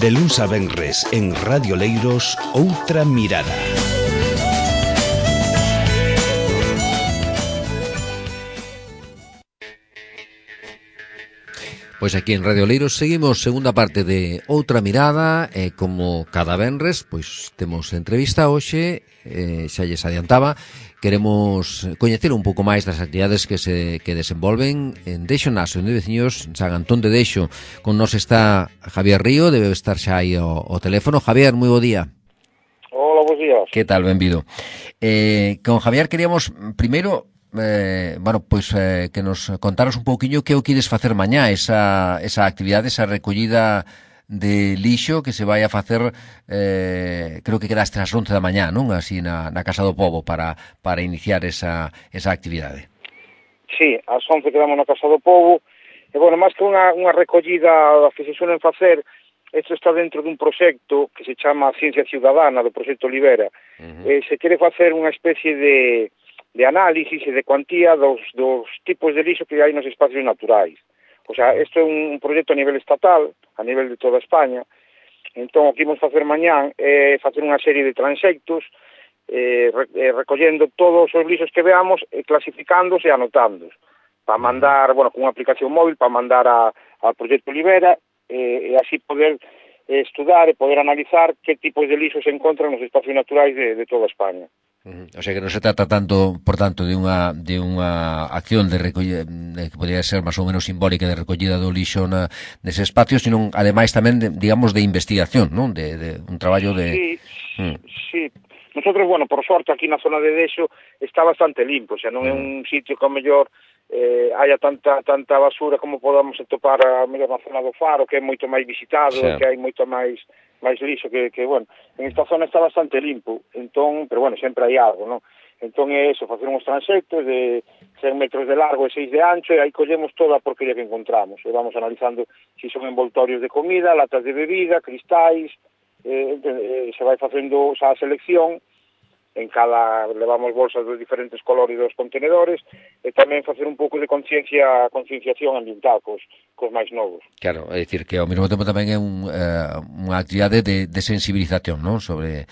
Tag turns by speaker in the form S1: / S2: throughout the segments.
S1: De luns a venres en Radio Leiros, Outra Mirada.
S2: Pois aquí en Radio Leiros seguimos segunda parte de Outra Mirada e como cada venres, pois temos entrevista hoxe, xa lles adiantaba, queremos coñecer un pouco máis das actividades que desenvolven en Dexo, na Asociación de Veciños San Antón de Dexo. Con nos está Javier Río, debe estar xa aí o teléfono. Javier, moi bo día.
S3: Hola, bons días.
S2: Que tal, benvido. Con Javier queríamos primeiro que nos contaros un pouquiño que o quides facer mañá, esa actividade, esa recollida de lixo que se vai a facer, creo que quedaste ás 11 da mañá, non? Así na Casa do Pobo para iniciar esa actividade.
S3: Sí, ás 11 quedamos na Casa do Pobo, e, bueno, máis que unha recollida que se suelen facer, isto está dentro dun proxecto que se chama Ciencia Ciudadana, do proxecto Olivera. Se quere facer unha especie de análisis e de cuantía dos tipos de lixo que hai nos espacios naturais. O sea, isto é un proxecto a nivel estatal, a nivel de toda España. Entón, o que imos facer mañán é facer unha serie de transectos recollendo todos os lixos que veamos, clasificándoos e anotándoos, para mandar, bueno, con unha aplicación móvil, para mandar ao proxecto Olivera e así poder estudar e poder analizar que tipos de lixos se encontran nos espacios naturais de toda España.
S2: O sea que non se trata tanto, por tanto, de unha acción de recollida que podría ser máis ou menos simbólica de recollida do lixo nese espacio, sino ademais tamén de investigación, non? De un traballo de...
S3: Sí. Nosotros, bueno, por sorte, aquí na zona de Dexo está bastante limpo, o sea, non é un sitio que ao mellor haya tanta basura como podamos atopar a mellor na zona do Faro, que é moito máis visitado, que hai moito máis lixo, que bueno, en esta zona está bastante limpo, entón, pero bueno, sempre hai algo, non? Entón é eso, facer uns transectos de 100 metros de largo e 6 de ancho, e aí collemos toda a porquería que encontramos, e vamos analizando se son envoltorios de comida, latas de bebida, cristais, se vai facendo xa a selección, en cada levamos bolsas dos diferentes colores dos contenedores, e tamén facer un pouco de concienciación ambiental cos máis novos.
S2: Claro, é dicir que ao mesmo tempo tamén é unha actividade de sensibilización, non? Sobre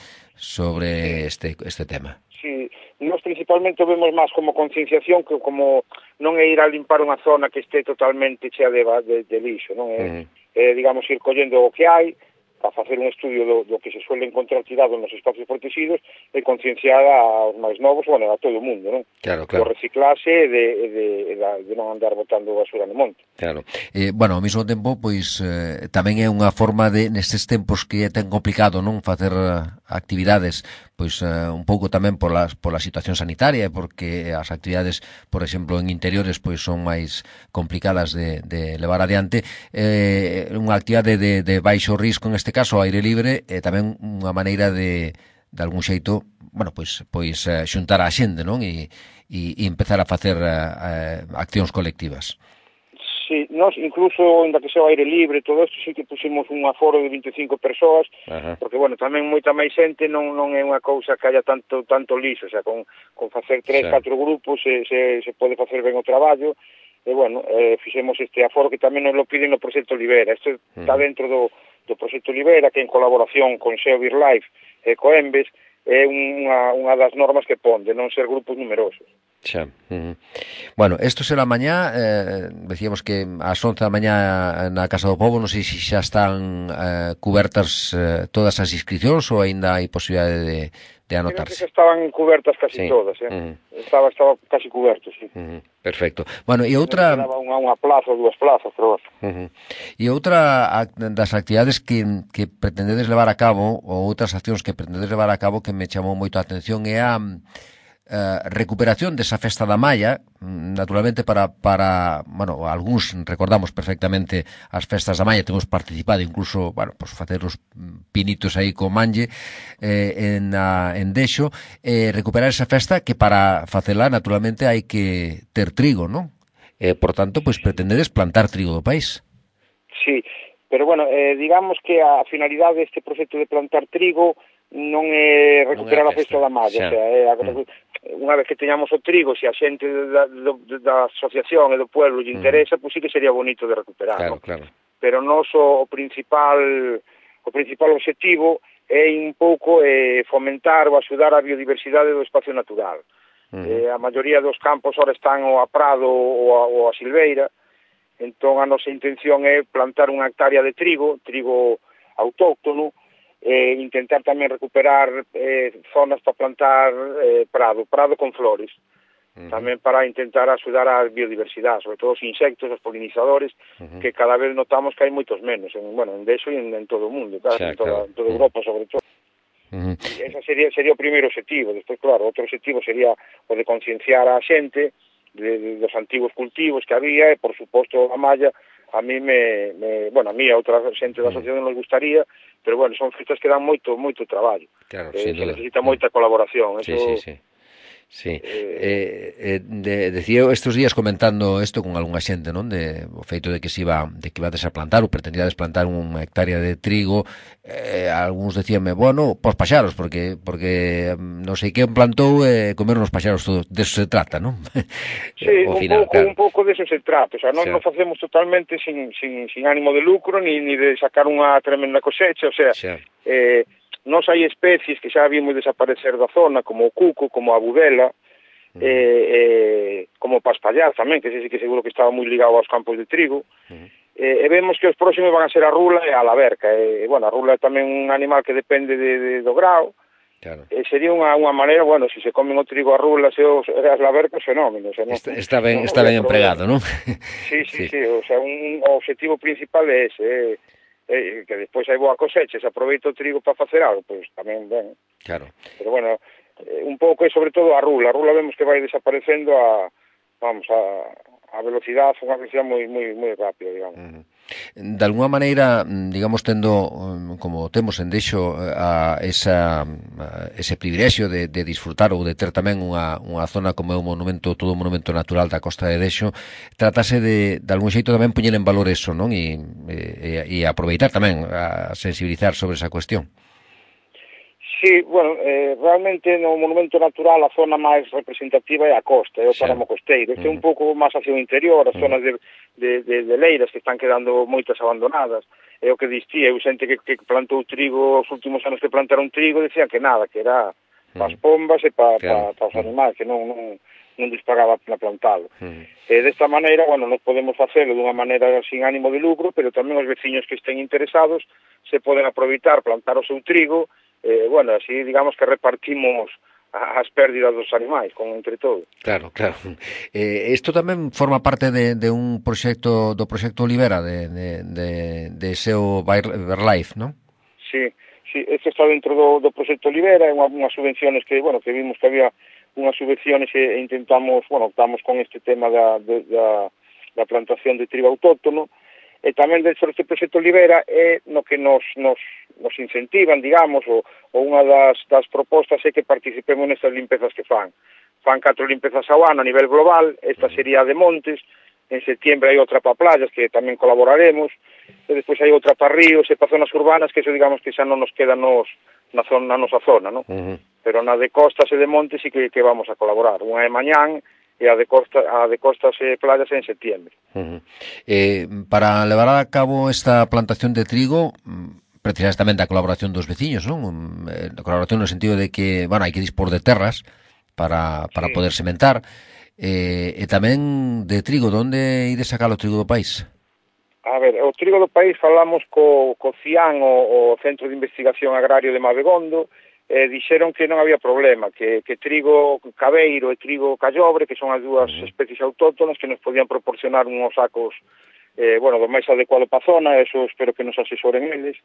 S2: este tema.
S3: Sí, nós principalmente o vemos máis como concienciación que como non é ir a limpar unha zona que este totalmente chea de lixo, non é, digamos, ir collendo o que hai, para facer un estudio do que se suele encontrar tirado nos espacios protegidos e concienciar aos máis novos, bueno, a todo o mundo, non?
S2: Claro.
S3: O reciclase de non andar botando basura no monte.
S2: Claro. Bueno, ao mesmo tempo, pois, tamén é unha forma de, nestes tempos que é tan complicado, non, facer actividades, pois, un pouco tamén pola situación sanitaria, porque as actividades, por exemplo, en interiores, pois, son máis complicadas de levar adiante, unha actividade de baixo risco, en este caso, ao aire libre, é tamén unha maneira de algún xeito, bueno, pois xuntar a xente, non? E empezar a facer accións colectivas.
S3: Sí, nós incluso, ainda que sea ao aire libre, todo isto, sí que pusimos un aforo de 25 persoas, porque, bueno, tamén moita máis xente non é unha cousa que haya tanto lixo, o sea, con facer 3-4 grupos se pode facer ben o traballo, e, bueno, fixemos este aforo que tamén nos lo piden no proxecto Olivera. Isto está dentro do proxecto Olivera, que en colaboración con Xeo BirdLife e Coembes, é unha das normas que pon, de non ser grupos numerosos.
S2: Xa. Bueno, isto será mañá, decíamos que ás 11 da mañá na Casa do Pobo, non sei se xa están cubertas todas as inscripcións ou aínda hai posibilidade de anotarse.
S3: Creo que estaban cubertas casi todas, Estaba casi cuberto, sí.
S2: Perfecto. Bueno, e outra...
S3: Quedaba unha plaza ou dúas plazas, pero bueno.
S2: E outra das actividades que pretendedes levar a cabo, ou outras accións que pretendedes levar a cabo que me chamou moito a atención, é a recuperación desa festa da Malla, naturalmente para bueno, algúns recordamos perfectamente as festas da Malla, temos participado incluso, bueno, pues facer os pinitos aí co manlle en Dexo, recuperar esa festa que para facela naturalmente hai que ter trigo, non? Por tanto, pois pretendedes plantar trigo do país.
S3: Sí, pero bueno, digamos que a finalidade deste proxecto de plantar trigo non é recuperar a festa da Malla, o sea, unha vez que teñamos o trigo, se a xente da asociación e do pueblo lle interesa, pois sí que sería bonito de recuperar,
S2: claro,
S3: ¿no?
S2: Claro.
S3: pero o principal objetivo é un pouco fomentar ou axudar a biodiversidade do espacio natural. A maioría dos campos ora están ou a prado ou a silveira, entón a nosa intención é plantar unha hectárea de trigo autóctono, intentar tamén recuperar zonas para plantar prado con flores, tamén para intentar axudar a biodiversidade, sobre todo os insectos, os polinizadores, que cada vez notamos que hai moitos menos, en Dexo e en todo o mundo, en toda Europa sobre todo. Ese sería o primeiro objetivo. Despois, claro, outro objetivo sería o de concienciar a xente dos antigos cultivos que había, e por suposto a malla a mí a mí a outra xente da asociación nos gustaría, pero son fitas que dan moito traballo.
S2: Claro,
S3: se necesita moita colaboración.
S2: Sí. Decía estes días comentando isto con algunha xente, non? O feito de que ibades a plantar ou pretendíades plantar unha hectárea de trigo, algúns decíanme, pos paxaros, porque non sei quen plantou comeron os paxaros todo, deso se trata, non?
S3: Sí, un pouco deso se trata, o sea, non facemos totalmente sin ánimo de lucro, ni de sacar unha tremenda cosecha, o sea, nos hai especies que xa vimos desaparecer da zona, como o cuco, como a budela, como o paspallar tamén, que sí que seguro que estaba moi ligado aos campos de trigo, e vemos que os próximos van a ser a rula e a laverca. A rula é tamén un animal que depende do grao, sería unha maneira, se se comen o trigo a rulas e as lavercas, fenómenos.
S2: Está ben empregado, non?
S3: Sí, o sea, o objetivo principal é ese, que despois hai boa cosecha, se aproveita o trigo para facer algo, pois tamén ben.
S2: Claro.
S3: Pero un pouco é sobre todo a rula vemos que vai desaparecendo a velocidade, unha velocidade moi rápida, digamos.
S2: De alguna maneira, digamos, tendo, como temos en Dexo, ese privilexio de disfrutar ou de ter tamén unha zona como é todo un monumento natural da costa de Dexo, tratase de algún xeito tamén poñer en valor eso, non? E aproveitar tamén a sensibilizar sobre esa cuestión.
S3: Sí, realmente no monumento natural a zona máis representativa é a costa, é o páramo costeiro. Este é un pouco máis hacia o interior, as zonas de leiras que están quedando moitas abandonadas. É o que distía, eu xente que plantou trigo, os últimos anos que plantaron trigo, decían que nada, que era para as pombas e para os animais, que non dispagaba a plantalo. Desta maneira, nos podemos facelo dunha maneira sin ánimo de lucro, pero tamén os veciños que estén interesados se poden aproveitar, plantar o seu trigo, así digamos que repartimos as pérdidas dos animais entre todos.
S2: Claro. Isto tamén forma parte de un proxecto, do proxecto Olivera, de SEO Birdlife, non?
S3: Sí, isto está dentro do proxecto Olivera, é unhas subvenciones que vimos que había unhas subvenciones e intentamos, optamos con este tema da plantación de trigo autóctono. E tamén dentro deste proxecto Olivera é no que nos incentivan, digamos, ou unha das propostas é que participemos nestas limpezas que fan 4 limpezas ao ano a nivel global. Esta sería de montes, en septiembre hai outra para playas que tamén colaboraremos, e despois hai outra para ríos e para zonas urbanas, que eso digamos que xa non nos queda na nosa zona, non? Pero na de costas e de montes sí que vamos a colaborar. Unha é mañán e a de costas e playas en septiembre.
S2: Para levar a cabo esta plantación de trigo, precisas tamén da colaboración dos veciños, non? Colaboración no sentido de que, hai que dispor de terras para poder sementar, e tamén de trigo. Donde ides sacar o trigo do país?
S3: A ver, o trigo do país falamos co CIAN, o Centro de Investigación Agrario de Mabegondo, dixeron que non había problema, que trigo cabeiro e trigo callobre, que son as dúas especies autóctonas, que nos podían proporcionar uns sacos do máis adecuado para a zona. Eso espero que nos asesoren eles.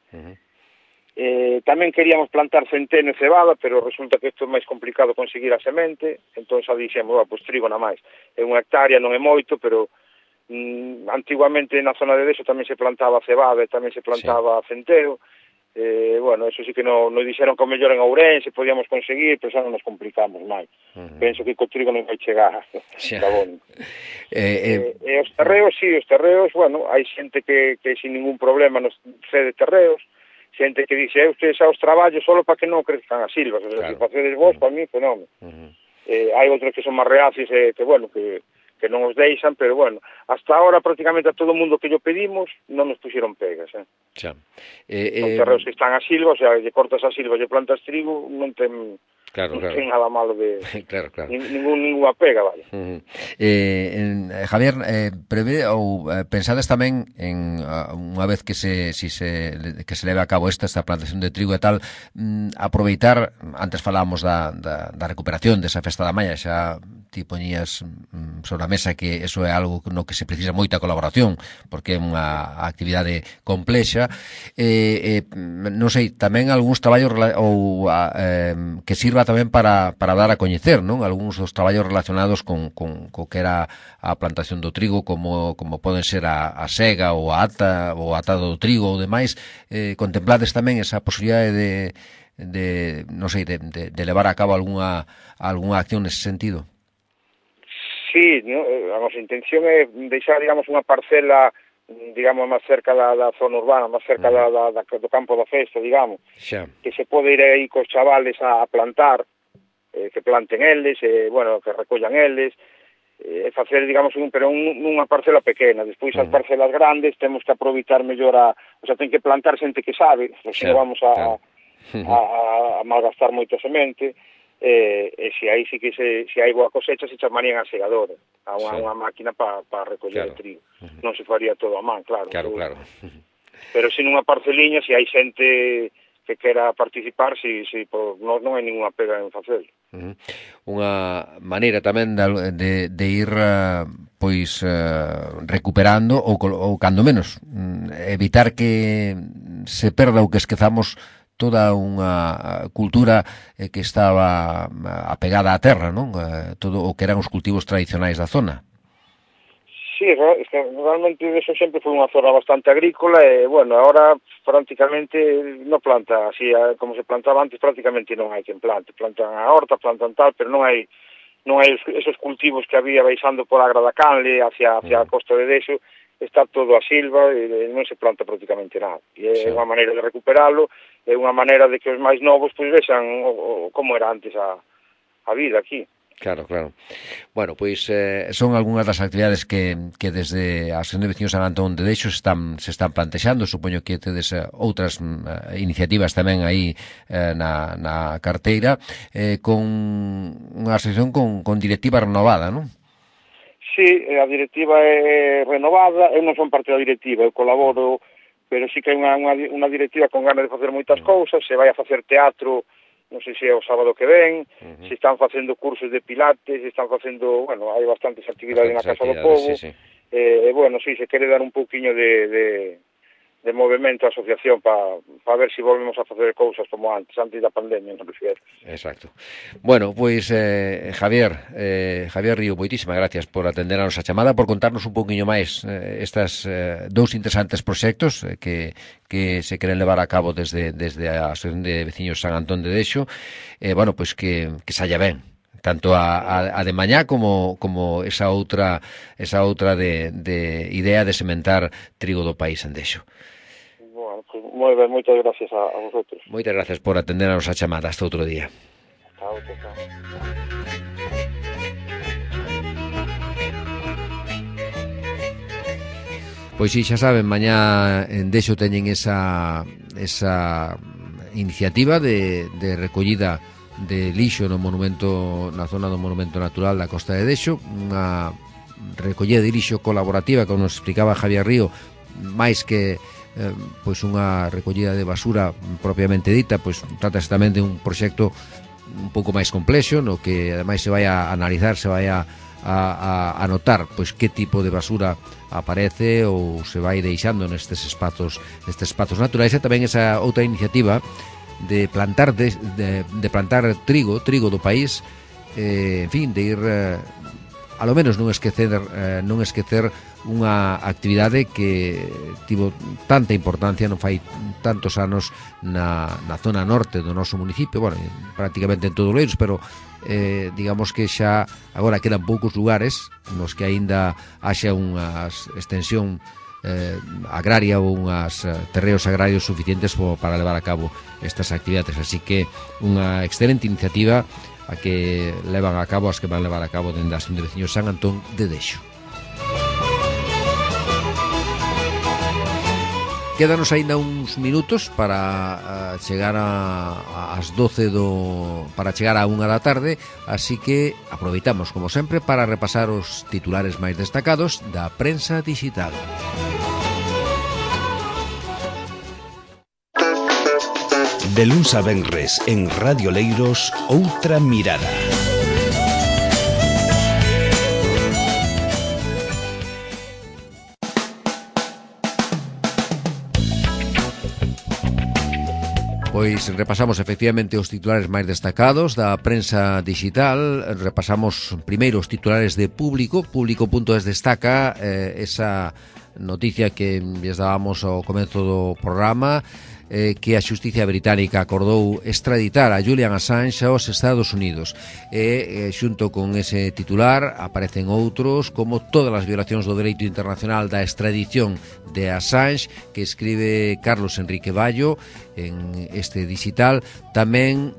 S3: Tamén queríamos plantar centeno e cebada, pero resulta que isto é máis complicado conseguir a semente, entón xa dixemos, trigo na máis. É unha hectárea, non é moito, pero antiguamente na zona de Dexo tamén se plantaba cebada e tamén se plantaba centeo. Eso sí que non dixeron que o mellor en Ourense podíamos conseguir, pero xa non nos complicamos máis. Penso que co trigo non vai chegar. E os terreos, hai xente que sin ningún problema nos cede terreos, xente que dixe, ustedes xa os traballos solo para que non crezcan as silvas, o sea, se facedes vos, para mí, fenómeno. Hai outros que son máis reacios, que que non os deixan, pero bueno, hasta ahora prácticamente a todo o mundo que yo pedimos non nos puxeron pegas,
S2: Xa.
S3: Son terreos que están a silva, o sea, lle cortas a silva, lle plantas trigo, non ten...
S2: Claro,
S3: non ten nada malo de...
S2: claro.
S3: Ninguna pega, vale.
S2: Javier, prevé ou pensades tamén en unha vez que se leve a cabo esta plantación de trigo e tal, aproveitar, antes falábamos da recuperación desa festa da Malla, xa ti poñías sobre a mesa que eso é algo no que se precisa moita colaboración, porque é unha actividade complexa, non sei, tamén algúns traballos ou que sirva tamén para dar a coñecer, non? Algúns dos traballos relacionados co que era a plantación do trigo, como poden ser a sega ou a ata, ou a atado do trigo ou demais. Contemplades tamén esa posibilidade de non sei, de levar a cabo algunha acción nese sentido?
S3: Sí, a nosa intención é deixar, digamos, unha parcela, digamos, máis cerca da zona urbana, máis cerca do campo da festa, digamos,
S2: xa,
S3: que se pode ir aí cos chavales a plantar, que planten eles, bueno, que recollan eles, facer, digamos, pero nunha parcela pequena. Despois as parcelas grandes temos que aproveitar mellor o sea, ten que plantar xente que sabe, se non vamos a malgastar moita semente, e se aí sí que se hai boa cosecha se chamarían a segadora, a unha máquina para recoller o trigo. Non se faría todo a man, claro.
S2: Claro.
S3: Pero se nunha parceliña, se hai xente que quera participar, non hai ninguna pega en facelo.
S2: Unha maneira tamén de ir recuperando ou cando menos evitar que se perda ou que esquezamos toda unha cultura que estaba apegada á terra, non? Todo o que eran os cultivos tradicionais da zona.
S3: Sí, realmente eso sempre foi unha zona bastante agrícola e, bueno, ahora prácticamente non planta así, como se plantaba antes, prácticamente non hai quen plante. Plantan a horta, plantan tal, pero non hai esos cultivos que había baixando por a Agra da Canle hacia a costa de Dexo, está todo a silva e non se planta prácticamente nada. E é unha maneira de recuperalo, é unha maneira de que os máis novos vexan como era antes a vida aquí.
S2: Claro. Bueno, pois son algunhas das actividades que desde a Asociación de Veciños San Antón de Dexo se están plantexando. Supoño que tedes outras iniciativas tamén aí na carteira, con unha asociación con directiva renovada, non?
S3: Sí, a directiva é renovada, eu non son parte da directiva, eu colaboro, pero sí que hai unha directiva con ganas de facer moitas cousas, se vai a facer teatro, non sei se é o sábado que ven, se están facendo cursos de pilates, se están facendo, bueno, hai bastantes actividades na Casa do Pobo, bueno, sí, se quere dar un pouquiño de movimento á asociación para ver se volvemos a facer cousas como antes da pandemia, non prefiero.
S2: Exacto. Bueno, pois Javier Río, moitísimas gracias por atender a nosa chamada, por contarnos un pouquiño máis estas dous interesantes proxectos que se queren levar a cabo desde a Asociación de Veciños San Antón de Dexo, bueno, pois que saia ben tanto a de mañá como esa outra de idea de sementar trigo do país en Dexo.
S3: Moi ben, moitas gracias a vosotros.
S2: Moitas gracias por atender a nosa chamada. Hasta outro día.
S3: Chao.
S2: Pois si, xa saben, mañá en Dexo teñen esa iniciativa de recollida de lixo na zona do Monumento Natural da Costa de Dexo, unha recollida de lixo colaborativa, como nos explicaba Javier Río, máis que pois unha recollida de basura propiamente dita, pois trátase tamén de un proxecto un pouco máis complexo, no que ademais se vai a analizar, se vai a notar pois que tipo de basura aparece ou se vai deixando nestes espazos naturais. E tamén esa outra iniciativa de plantar plantar trigo do país, en fin, de ir a lo menos non esquecer unha actividade que tivo tanta importancia non fai tantos anos na zona norte do noso municipio, bueno, prácticamente en todo Oleiros, pero digamos que xa agora quedan poucos lugares nos que aínda haxa unha extensión agraria ou unhas terreos agrarios suficientes para levar a cabo estas actividades, así que unha excelente iniciativa a que levan a cabo, as que van levar a cabo dende a Asociación de Veciños San Antón de Dexo. Quédanos aínda uns minutos para chegar ás 12 para chegar á 1 da tarde, así que aproveitamos, como sempre, para repasar os titulares máis destacados da prensa digital.
S1: De luns a venres en Radio Leiros, Outra Mirada.
S2: Pois repasamos efectivamente os titulares máis destacados da prensa digital. Repasamos primeiro os titulares de Público. Público.es destaca esa noticia que lles dábamos ao comezo do programa, que a xusticia británica acordou extraditar a Julian Assange aos Estados Unidos. Xunto con ese titular aparecen outros, como todas as violacións do dereito internacional da extradición de Assange, que escribe Carlos Enrique Bayo en este digital. Tamén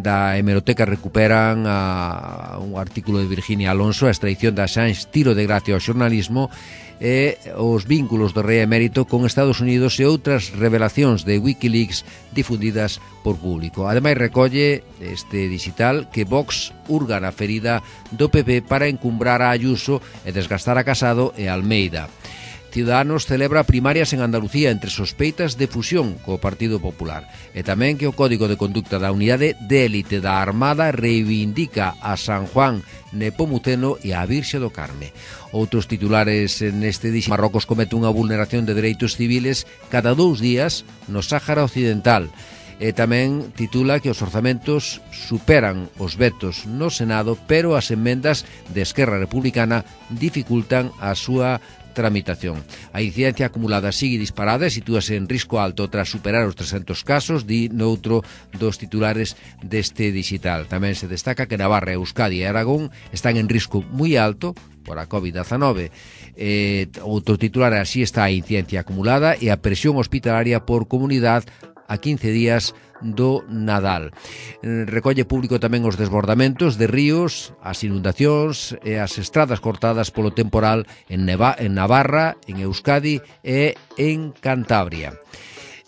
S2: da hemeroteca recuperan un artículo de Virginia Alonso, a extradición de Assange, tiro de gracia ao xornalismo, e os vínculos do rei emérito con Estados Unidos e outras revelacións de Wikileaks difundidas por Público. Ademais, recolle este digital que Vox urga na ferida do PP para encumbrar a Ayuso e desgastar a Casado e Almeida. Ciudadanos celebra primarias en Andalucía entre sospeitas de fusión co Partido Popular. E tamén que o Código de Conducta da Unidade de Élite da Armada reivindica a San Juan Nepomuceno e a Virxe do Carme. Outros titulares neste dixo: Marrocos comete unha vulneración de dereitos civiles cada 2 días no Sáhara Occidental. E tamén titula que os orzamentos superan os vetos no Senado, pero as emendas de Esquerra Republicana dificultan a súa tramitación. A incidencia acumulada sigue disparada e sitúase en risco alto tras superar os 300 casos, di noutro dos titulares deste digital. Tamén se destaca que Navarra, Euskadi e Aragón están en risco moi alto por a COVID-19. Outro titular: así está a incidencia acumulada e a presión hospitalaria por comunidade a 15 días do Nadal. Recolle Público tamén os desbordamentos de ríos, as inundacións e as estradas cortadas polo temporal en Navarra, en Euskadi e en Cantabria.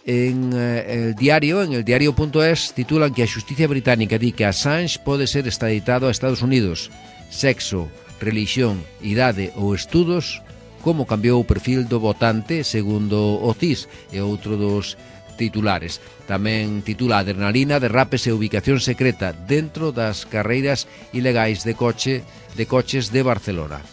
S2: En el diario.es titulan que a xusticia británica di que Assange pode ser extraditado a Estados Unidos. Sexo, religión, idade ou estudos, como cambiou o perfil do votante segundo o CIS, e outro dos titulares. Tamén titula Adrenalina, derrapes e ubicación secreta dentro das carreiras ilegais de coches de Barcelona.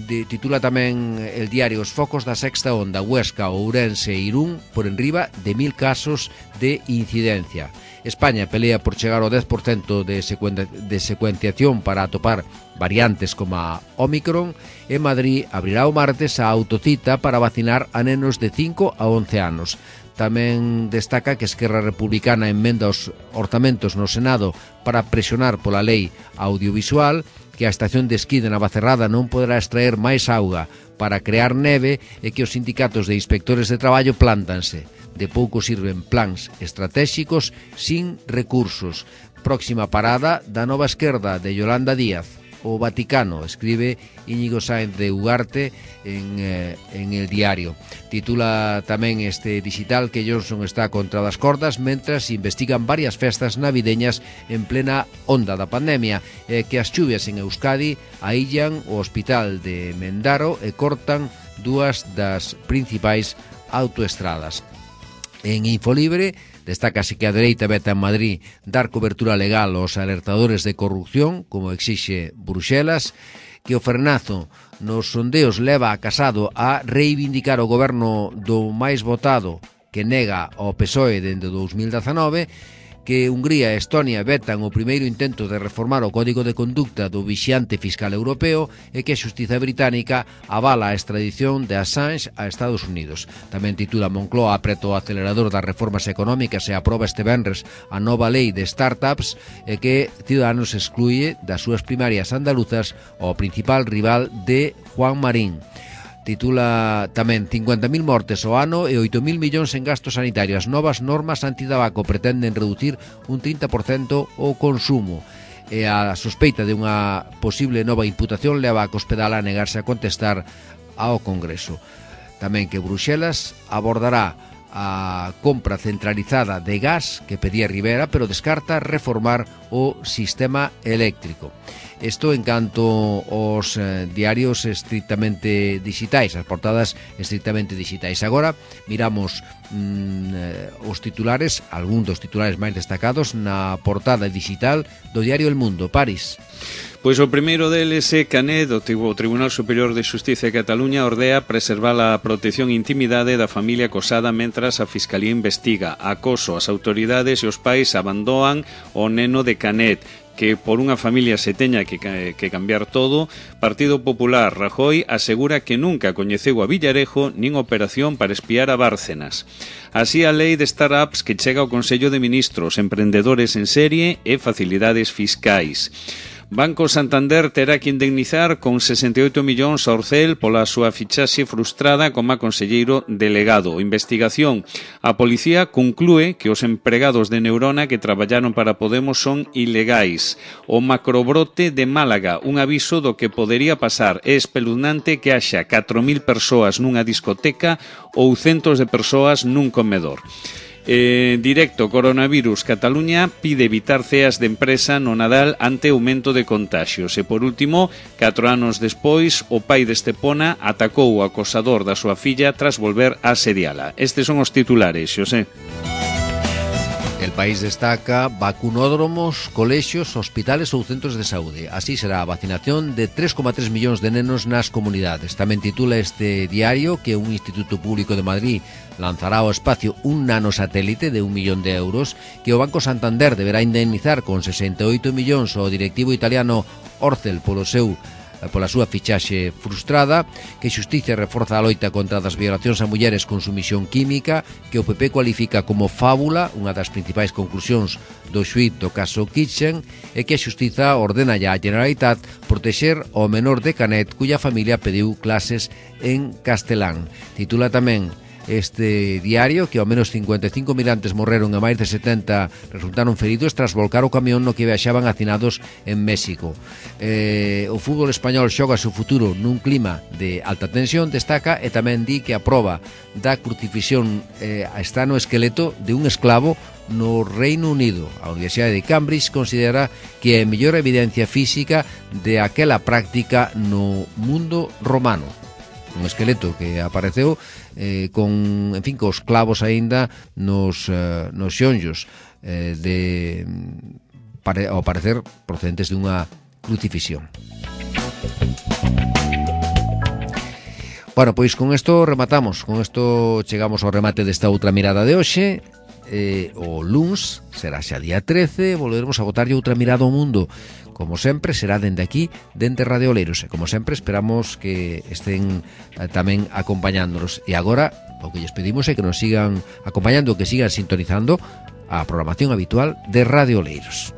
S2: Titula tamén el diario os focos da sexta onda, Huesca, Ourense e Irún por enriba de 1000 casos de incidencia. España pelea por chegar ao 10% de secuenciación para atopar variantes como a Omicron, e Madrid abrirá o martes a autocita para vacinar a nenos de 5 a 11 anos. Tamén destaca que Esquerra Republicana emenda os orzamentos no Senado para presionar pola lei audiovisual, que a estación de esquí de Navacerrada non poderá extraer máis auga para crear neve, e que os sindicatos de inspectores de traballo plántanse. De pouco sirven plans estratégicos sin recursos. Próxima parada da nova esquerda de Yolanda Díaz. O Vaticano, escribe Íñigo Sáenz de Ugarte en el diario. Titula tamén este digital que Johnson está contra das cordas mentras investigan varias festas navideñas en plena onda da pandemia, que as chuvias en Euskadi aillan o hospital de Mendaro e cortan 2 das principais autoestradas. En Infolibre destácase que a dereita veta en Madrid dar cobertura legal aos alertadores de corrupción, como exixe Bruxelas, que o frenazo nos sondeos leva a Casado a reivindicar o goberno do máis votado, que nega ao PSOE dende 2019, que Hungría e Estonia vetan o primeiro intento de reformar o Código de Conducta do vixiante fiscal europeo, e que a xustiza británica avala a extradición de Assange a Estados Unidos. Tamén titula Moncloa apreta o acelerador das reformas económicas e aproba este venres a nova lei de startups, e que Ciudadanos excluye das súas primarias andaluzas ao principal rival de Juan Marín. Titula tamén 50.000 mortes ao ano e 8.000 millóns en gastos sanitarios. As novas normas antidabaco pretenden reducir un 30% o consumo. E a sospeita de unha posible nova imputación leva a Cospedal a negarse a contestar ao Congreso. Tamén que Bruxelas abordará a compra centralizada de gas que pedía Rivera, pero descarta reformar o sistema eléctrico. Isto en canto aos diarios estrictamente digitais, as portadas estrictamente digitais. Agora miramos os titulares, algún dos titulares máis destacados na portada digital do diario El Mundo. París.
S4: Pois o primeiro deles é Canet, o Tribunal Superior de Xustiza de Cataluña ordea preservar a protección e intimidade da familia acosada mentras a Fiscalía investiga. Acoso, as autoridades e os pais abandonan o neno de Canet, que por unha familia se teña que cambiar todo. Partido Popular, Rajoy asegura que nunca coñeceu a Villarejo nin operación para espiar a Bárcenas. Así a lei de startups que chega ao Consello de Ministros, emprendedores en serie e facilidades fiscais. Banco Santander terá que indemnizar con 68 millóns a Orcel pola súa fichaxe frustrada como conselleiro delegado. Investigación. A policía conclúe que os empregados de Neurona que traballaron para Podemos son ilegais. O macrobrote de Málaga, un aviso do que podería pasar. É espeluznante que haxa 4.000 persoas nunha discoteca ou centos de persoas nun comedor. Directo, coronavirus. Cataluña pide evitar ceas de empresa no Nadal ante aumento de contagios. E por último, 4 anos despois, o pai de Estepona atacou o acosador da súa filla tras volver a asediala. Estes son os titulares, Xosé.
S2: El País destaca vacunódromos, colexios, hospitales ou centros de saúde. Así será a vacinación de 3,3 millóns de nenos nas comunidades. Tamén titula este diario que un instituto público de Madrid lanzará ao espacio un nanosatélite de 1 millón de euros que o Banco Santander deberá indemnizar con 68 millóns ao directivo italiano Orcel pola súa fichaxe frustrada, que Xustiza reforza a loita contra as violacións a mulleres con sumisión química, que o PP cualifica como fábula, unha das principais conclusións do xuíz do caso Kitchen, e que a Xustiza ordena ya a Generalitat protexer ao menor de Canet, cuya familia pediu clases en castelán. Titula tamén este diario que ao menos 55 migrantes morreron e máis de 70 resultaron feridos tras volcar o camión no que viaxaban hacinados en México. O fútbol español xoga o seu futuro nun clima de alta tensión, destaca, e tamén di que a proba da crucifixión está no esqueleto de un esclavo no Reino Unido. A Universidade de Cambridge considera que é a mellor evidencia física de aquela práctica no mundo romano. Un esqueleto que apareceu con, en fin, cos clavos aínda nos xonllos ao parecer procedentes dunha crucifixión. Bueno, pois con isto rematamos, con isto chegamos ao remate desta outra mirada de hoxe. O luns será xa día 13, volveremos a botarlle outra mirada ao mundo. Como sempre, será dende aquí, dende Radio Oleiros. E como sempre, esperamos que estén tamén acompañándonos. E agora, o que lles pedimos é que nos sigan acompañando, que sigan sintonizando a programación habitual de Radio Oleiros.